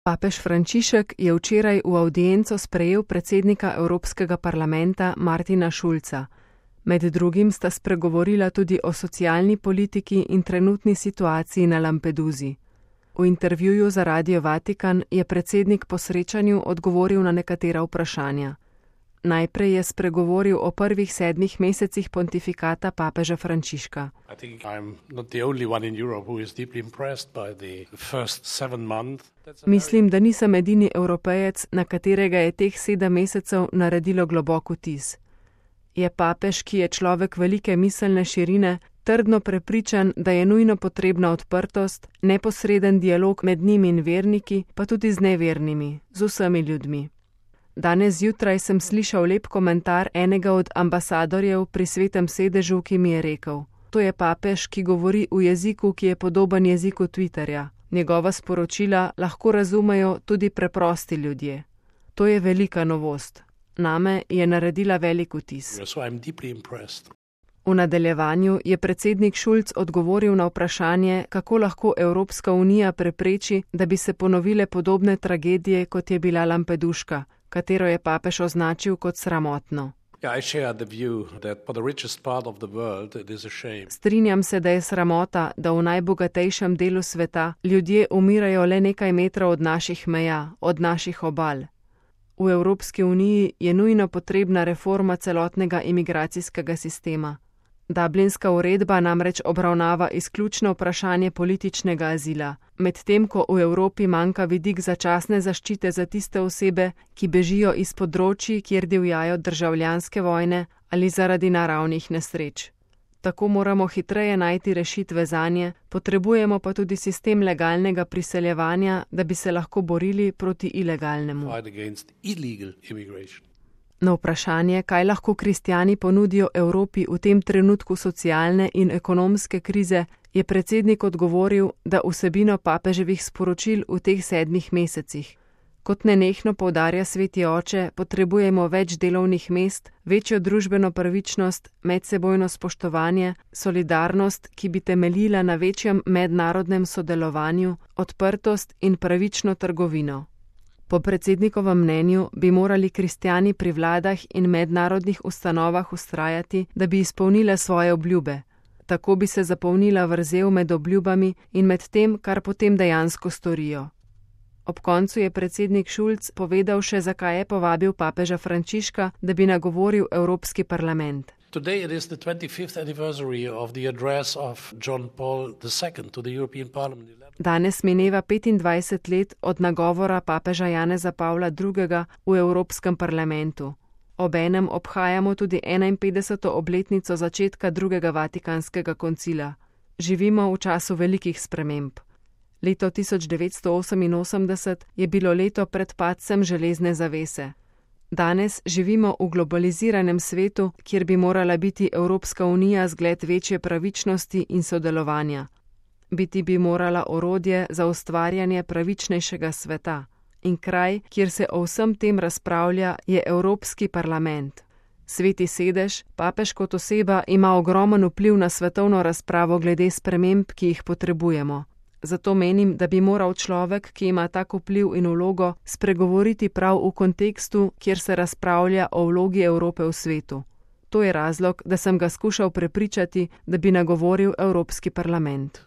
Papež Frančišek je včeraj v avdienco sprejel predsednika Evropskega parlamenta Martina Schulza. Med drugim sta spregovorila tudi o socialni politiki in trenutni situaciji na Lampedusi. V intervjuju za Radio Vatikan je predsednik po srečanju odgovoril na nekatera vprašanja. Najprej je spregovoril o prvih 7 mesecih pontifikata papeža Frančiška. Mislim, da nisem edini Evropejec, na katerega je teh 7 mesecev naredilo globok vtis. Je papež, ki je človek velike miselne širine, trdno prepričan, da je nujno potrebna odprtost, neposreden dialog med njim in verniki, pa tudi z nevernimi, z vsemi ljudmi. Danes zjutraj sem slišal lep komentar enega od ambasadorjev pri Svetem sedežu, ki mi je rekel: to je papež, ki govori v jeziku, ki je podoben jeziku Twitterja. Njegova sporočila lahko razumejo tudi preprosti ljudje. To je velika novost. Name je naredila velik vtis. V nadaljevanju je predsednik Schulz odgovoril na vprašanje, kako lahko Evropska unija prepreči, da bi se ponovile podobne tragedije, kot je bila Lampeduška, katero je papež označil kot sramotno. Strinjam se, da je sramota, da v najbogatejšem delu sveta ljudje umirajo le nekaj metrov od naših meja, od naših obal. V Evropski uniji je nujno potrebna reforma celotnega imigracijskega sistema. Dublinska uredba namreč obravnava izključno vprašanje političnega azila, medtem ko v Evropi manjka vidik začasne zaščite za tiste osebe, ki bežijo iz področij, kjer divjajo državljanske vojne ali zaradi naravnih nesreč. Tako moramo hitreje najti rešitve zanje, potrebujemo pa tudi sistem legalnega priseljevanja, da bi se lahko borili proti ilegalnemu. Na vprašanje, kaj lahko kristjani ponudijo Evropi v tem trenutku socialne in ekonomske krize, je predsednik odgovoril, da vsebino papeževih sporočil v teh 7 mesecih. Kot nenehno poudarja sveti oče, potrebujemo več delovnih mest, večjo družbeno pravičnost, medsebojno spoštovanje, solidarnost, ki bi temeljila na večjem mednarodnem sodelovanju, odprtost in pravično trgovino. Po predsednikovem mnenju bi morali kristjani pri vladah in mednarodnih ustanovah vztrajati, da bi izpolnile svoje obljube. Tako bi se zapolnila vrzel med obljubami in med tem, kar potem dejansko storijo. Ob koncu je predsednik Schulz povedal še, zakaj je povabil papeža Frančiška, da bi nagovoril Evropski parlament. Today it is the 25th anniversary of the address of John Paul II to the European Parliament. Danes mineva 25 let od nagovora papeža Janeza Pavla II. V Evropskem parlamentu. Obenem obhajamo tudi 51. obletnico začetka drugega Vatikanskega koncila. Živimo v času velikih sprememb. Leto 1988 je bilo leto pred padcem železne zavese. Danes živimo v globaliziranem svetu, kjer bi morala biti Evropska unija zgled večje pravičnosti in sodelovanja. Biti bi morala orodje za ustvarjanje pravičnejšega sveta. In kraj, kjer se o vsem tem razpravlja, je Evropski parlament. Sveti sedež, papež kot oseba, ima ogromen vpliv na svetovno razpravo glede sprememb, ki jih potrebujemo. Zato menim, da bi moral človek, ki ima tak vpliv in vlogo, spregovoriti prav v kontekstu, kjer se razpravlja o vlogi Evrope v svetu. To je razlog, da sem ga skušal prepričati, da bi nagovoril Evropski parlament.